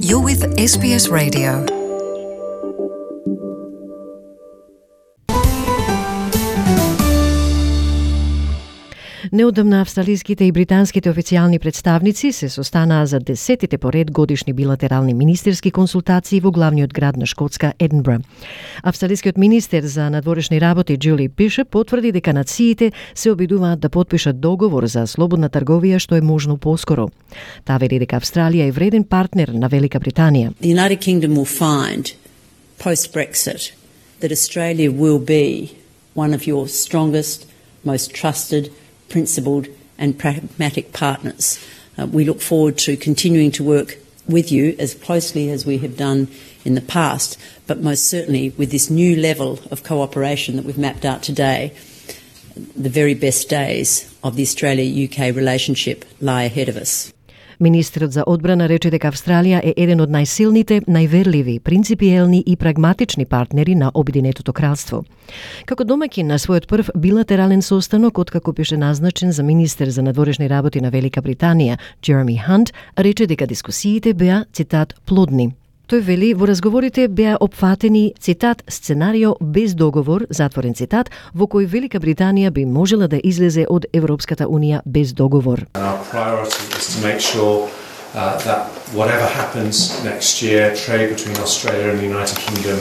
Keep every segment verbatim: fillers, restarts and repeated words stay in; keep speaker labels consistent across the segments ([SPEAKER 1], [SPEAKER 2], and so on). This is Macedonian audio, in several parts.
[SPEAKER 1] You're with S B S Radio.
[SPEAKER 2] Неодамна австралиските и британските официјални представници се состанаа за десетите поред годишни билатерални министерски консултации во главниот град на Шкотска, Единбро. Австралискиот министер за надворешни работи Джули Бишоп потврди дека нациите се обидуваат да потпишат договор за слободна трговија што е можно поскоро. Таа вели дека Австралија е вреден партнер на Велика Британија.
[SPEAKER 3] The United Kingdom will find post-Brexit that Australia will be one of your strongest, most trusted, principled and pragmatic partners. Uh, we look forward to continuing to work with you as closely as we have done in the past, but most certainly with this new level of cooperation that we've mapped out today, the very best days of the Australia-U K relationship lie ahead of us.
[SPEAKER 2] Министерот за одбрана рече дека Австралија е еден од најсилните, најверливи, принципиелни и прагматични партнери на Обединетото кралство. Како домаќин на својот прв билатерален состанок, откако беше назначен за министер за надворешни работи на Велика Британија, Джереми Хант, рече дека дискусиите беа, цитат, плодни. Тој вели, во разговорите беа опфатени, цитат, сценарио без договор, затворен цитат, во кој Велика Британија би можела да излезе од Европската Унија без договор.
[SPEAKER 4] Our priority is to make sure uh, that whatever happens next year, trade between Australia and the United Kingdom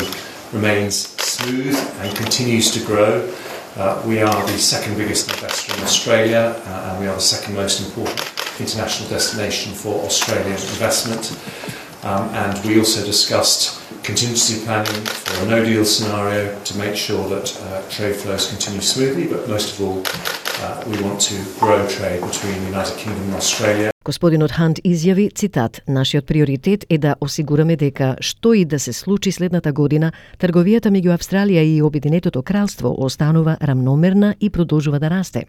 [SPEAKER 4] remains smooth and continues to grow. Uh, we are the second biggest investor in Australia uh, and we are the second most important international destination for Australian investment. Um, and we also discussed contingency planning for a no-deal scenario to make sure that uh, trade flows continue smoothly, but most of all, uh, we want to grow trade between the United Kingdom and Australia.
[SPEAKER 2] Господинот Хант изјави, цитат, нашиот приоритет е да осигураме дека што и да се случи следната година, трговијата меѓу Австралија и Обединетото кралство останува рамномерна и продолжува да расте.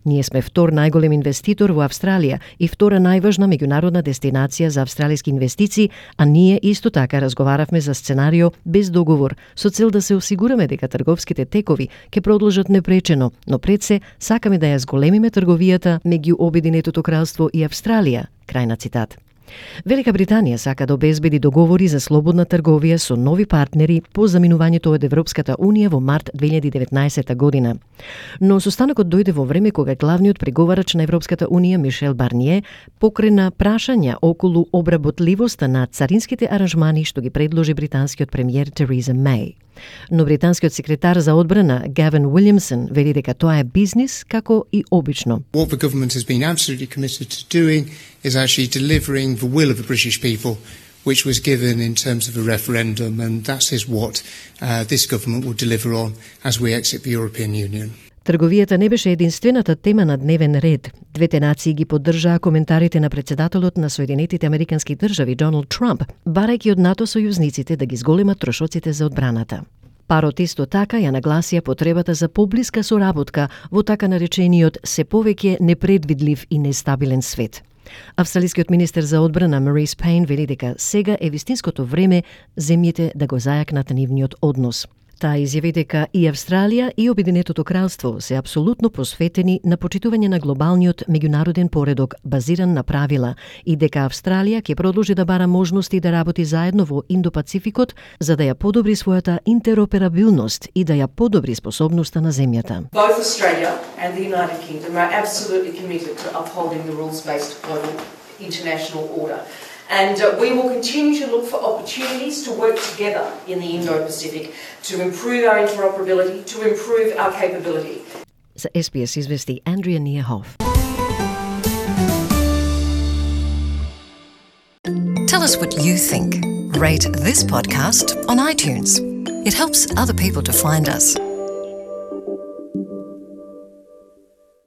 [SPEAKER 2] Ние сме втор најголем инвеститор во Австралија и втора најважна меѓународна дестинација за австралиски инвестиции, а ние исто така разговаравме за сценарио без договор, со цел да се осигураме дека трговските текови ќе продолжат непречено, но пред се сакаме да ја зголемиме трговијата меѓу Обединетото кралство и Австралија. Крај на цитат. Велика Британија сака да обезбеди договори за слободна трговија со нови партнери по заминувањето од Европската Унија во март две илјади и деветнаесетта година. Но состанокот дојде во време кога главниот преговарач на Европската Унија Мишел Барние покрена прашања околу обработливоста на царинските аранжмани што ги предложи британскиот премиер Тереза Меј. Но британскиот секретар за одбрана Гавин Уилјамсон вели дека тоа е бизнис како и обично.
[SPEAKER 5] What the government has been absolutely committed to doing is actually delivering the will of the British people, which was given in terms of a referendum, and that is what uh, this government will deliver on as we exit the European Union.
[SPEAKER 2] Трговијата не беше единствената тема на дневен ред. Двете нации ги поддржаа коментарите на председателот на Соединетите Американски држави Доналд Трамп, барајќи од НАТО сојузниците да ги зголемат трошоците за одбраната. Парот исто така ја нагласија потребата за поблиска соработка во така наречениот се повеќе непредвидлив и нестабилен свет. Австралискиот министер за одбрана Марис Пейн вели дека сега е вистинското време земјите да го зајакнат нивниот однос. Таа изјави дека и Австралија и Обединетото кралство се апсолутно посветени на почитување на глобалниот меѓународен поредок базиран на правила и дека Австралија ќе продолжи да бара можности да работи заедно во Индо-Пацификот за да ја подобри својата интероперабилност и да ја подобри способноста на земјата.
[SPEAKER 6] Both Australia and the United Kingdom are absolutely committed to upholding the rules-based global international order. And uh, we will continue to look for opportunities to work together in the Indo-Pacific to improve our interoperability, to improve our capability.
[SPEAKER 2] За S B S извести Andrea Neerhoff.
[SPEAKER 1] Tell us what you think. Rate this podcast on iTunes. It helps other people to find us.